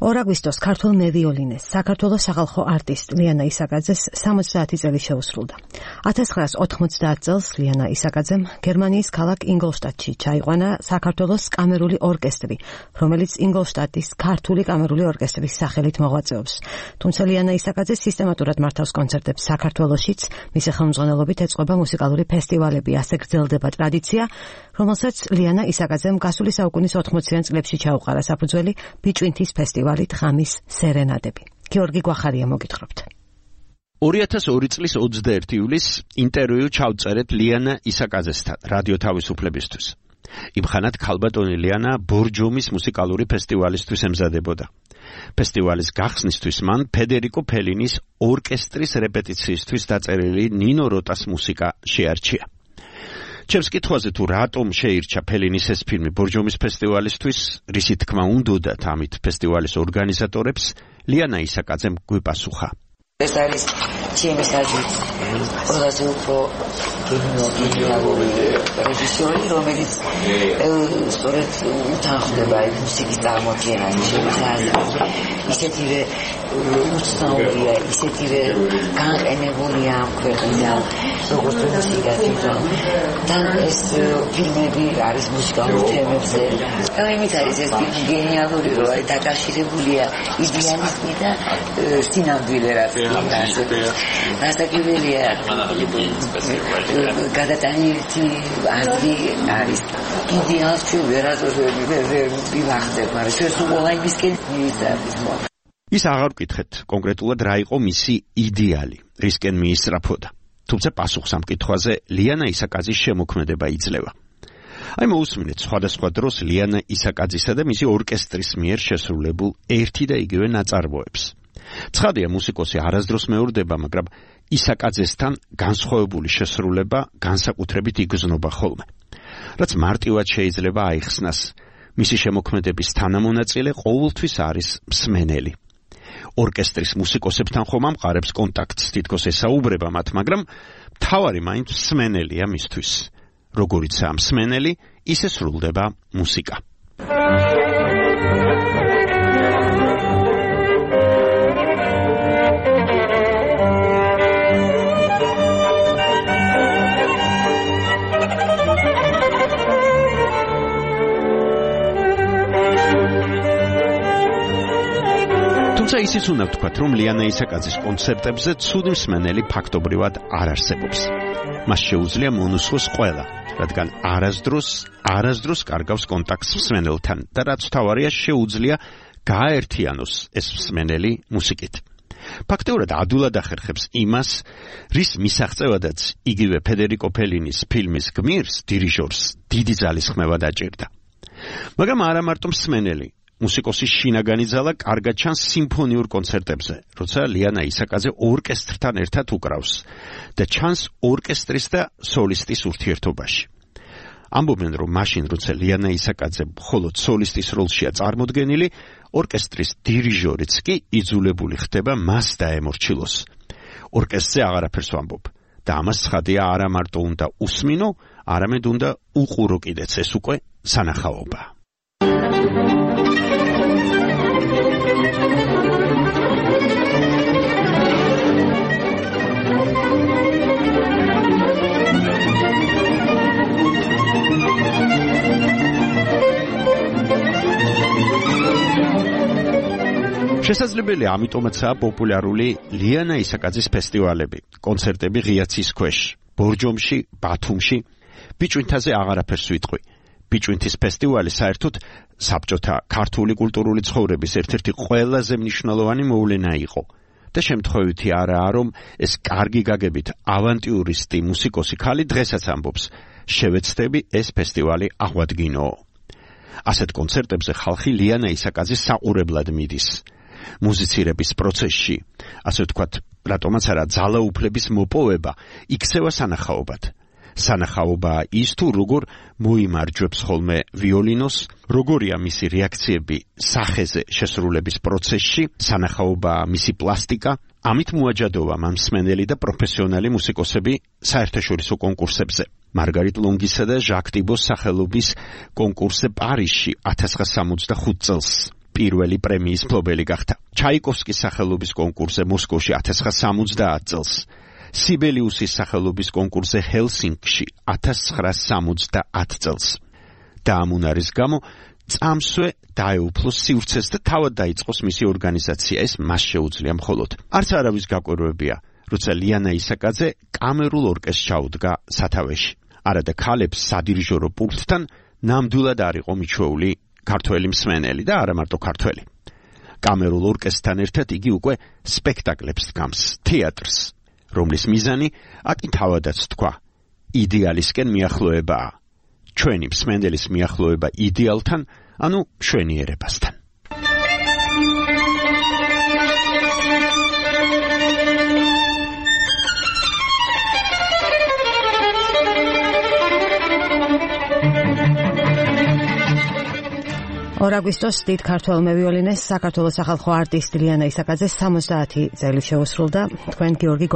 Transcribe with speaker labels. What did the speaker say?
Speaker 1: 2 აგვისტოს ქართულ მევიოლინეს საქართველოს სახალხო არტისტ ლიანა ისაკაძეს 70 წელი შეუსრულდა. 1990 წელს ლიანა ისაკაძემ გერმანიის ქალაქ ინგოლშტადტში ჩაიყვანა საქართველოს კამერული ორკესტრი, რომელიც ინგოლშტადტის ქართული კამერული ორკესტრის სახელით მოღვაწეობს. თუმცა ლიანა ისაკაძე სისტემატურად მართავს კონცერტებს საქართველოშიც, მისი ხელმძღვანელობით ეწყობა მუსიკალური ფესტივალები, ასე გრძელდება ტრადიცია, რომელსაც ლიანა ისაკაძემ გასული საუკუნის 80-იან წლებში ჩაუყარა საფუძველი ბიჭვინთის ფესტივალი ღამის სერენადები. გიორგი გვახარია მოგითხრობთ.
Speaker 2: 2002 წლის 21 ივლისს ინტერვიუ ჩავწერეთ ლიანა ისაკაძესთან რადიო თავისუფლებისთვის. იმ ხანად ქალბატონი ლიანა ბორჯომის მუსიკალური ფესტივალისთვის ემზადებოდა. ფესტივალის გახსნისთვის მან ფედერიკო ფელინის ორკესტრის რეპეტიციისთვის დაწერილი ნინო როტას მუსიკა შეარჩია. ჩემს კითხვაზე თუ რატომ შეირჩა ფელინის ეს ფილმი ბორჯომის ფესტივალისთვის, რისი თქმა უნდოდათ ამით ფესტივალის ორგანიზატორებს, ლიანა ისაკაძემ გვიპასუხა.
Speaker 3: ეს არის ჩემი საჯუთ ყველაზე უფრო გენიალური რეჟისორი, რომელიც სწორედ უთანხმდება ეს მუსიკის წარმოქმნა, ისეთივე უცნაურია, ისეთივე განყენებულია ამ ქვეყნიდან, როგორც მუსიკა თვითონ. და ეს ფილმები არის მუსიკალურ თემებზე. და იმით არის ეს ფილმი გენიალური, რომ არის დაკავშირებულია იდეალიზმი და სინამდვილე რაც ასაკებელია გადატანილი აზრი არის იდეალს ჩვენ ვერ ვივახდებ, მაგრამ ჩვენ სულ აიმისკენ მივიწევთ.
Speaker 2: ის აღარ ვკითხეთ კონკრეტულად რა იყო მისი იდეალი, რისკენ მიისწრაფოდა. თუმცა პასუხს ამ კითხვაზე ლიანა ისაკაძის შემოქმედება იძლევა. აი მოусმინეთ სხვადასხვა დროს ლიანა ისაკაძისა და მისი ორკესტრის მიერ შესრულებულ ერთი და იგივე ნაწარმოებს. ცხადია, მუსიკოსი არასდროს მეორდება, მაგრამ ისაკაძესთან განსხვავებული შესრულება განსაკუთრებით იგრძნობა ხოლმე. რაც მარტივად შეიძლება აიხსნას, მისი შემოქმედების თანამონაწილე ყოველთვის არის მსმენელი. ორკესტრის მუსიკოსებთან ხომ ამყარებს კონტაქტს, თითქოს ესაუბრება მათ, მაგრამ მთავარი მაინც მსმენელია მისთვის. როგორიცაა მსმენელი, ისე სრულდება მუსიკა. თუმცა ისიც უნდა ვთქვათ, რომ ლიანა ისაკაძის კონცერტებზე ცუდი მსმენელი ფაქტობრივად არ არსებობს. მას შეუძლია მონუსხოს ყველა, რადგან არასდროს კარგავს კონტაქტს მსმენელთან და რაც თავარია შეუძლია გააერთიანოს ეს მსმენელი მუსიკით. ფაქტობრივად ადვილად ახერხებს იმას, რის მისაღწევადაც იგივე ფედერიკო ფელინის ფილმის გმირს, დირიჟორს დიდი ძალისხმევა დაჭირდა. მაგრამ არა მარტო მსმენელი, მუსიკოსის შინაგანი ძალა კარგად ჩანს სიმფონიურ კონცერტებზე, როცა ლიანა ისაკაძე ორკესტრთან ერთად უკრავს და ჩანს ორკესტრის და სოლისტის ურთიერთობაში. ამბობენ, რომ მაშინ, როცა ლიანა ისაკაძე მხოლოდ სოლისტის როლშია წარმოდგენილი, ორკესტრის დირიჟორიც კი იძულებული ხდება მას დაემორჩილოს. ორკესტრზე აღარაფერს ვამბობ და ამას ცხადია არა მარტო უნდა უსმინო, არამედ უნდა უყურო კიდეც, ეს უკვე სანახაობა. შესაძლებელია ამიტომაცაა პოპულარული ლიანა ისაკაძის ფესტივალები, კონცერტები ღიაცის ქვეშ, ბორჯომში, ბათუმში, ბიჭვინთაზე აღარაფერს ვიტყვი. ბიჭვინთის ფესტივალი საერთოდ საბჭოთა ქართული კულტურული ცხოვრების ერთ-ერთი ყველაზე მნიშვნელოვანი მოვლენა იყო. და შემთხვევითი არაა, რომ ეს კარგი გაგებით ავანტიურისტი მუსიკოსი ქალი დღესაც ამბობს, შევეცდები ეს ფესტივალი აღვადგინო. ასეთ კონცერტებზე ხალხი ლიანა ისაკაძის საყურებლად მიდის. მუსიცირების პროცესში, ასე ვთქვათ, რატომაც არა ძალაუფლების მოპოვება იქცევა სანახაობად. სანახაობაა ის თუ როგორ მოიმარჯვებს ხოლმე ვიოლინოს, როგორია მისი რეაქციები სახეზე შესრულების პროცესში, სანახაობაა მისი პლასტიკა, ამით მოაჯადოვა მსმენელი და პროფესიონალი მუსიკოსები საერთაშორისო კონკურსებზე. მარგარიტ ლონგისა და ჟაკ ტიბოს სახელობის კონკურსზე პარიზში 1965 წელს. პირველი პრემიის მფლობელი გახდა. ჩაიკოვსკის სახელობის კონკურსზე მოსკოვში 1970 წელს, სიბელიუსის სახელობის კონკურსზე ჰელსინკში 1970 წელს. და ამ უნარის გამო წამსვე დაეუფლოს სივრცეს და თავად დაიწყოს მისი ორგანიზაცია. ეს მას შეუძლია მხოლოდ. არც არავის გაკვირვებია, როცა ლიანა ისაკაძე კამერულ ორკესტრს ჩაუდგა სათავეში. არადა ქალებს სადირიჟორო პულტთან ნამდვილად არ იყო მიჩვეული ქართველი მსმენელი და არა მარტო ქართველი. კამერულ ორკესტრთან ერთად იგი უკვე სპექტაკლებს დგამს, თეატრს, რომლის მიზანი აკი თავადაც თქვა, იდეალისკენ მიახლოებაა. ჩვენი მსმენელის მიახლოება იდეალთან, ანუ მშვენიერებასთან.
Speaker 1: აგვისტოს დიდ ქართველ მევიოლინეს საქართველოს სახალხო არტისტი ლიანა ისაკაძეს 70 წელი შეუსრულდა. თქვენ გიორგი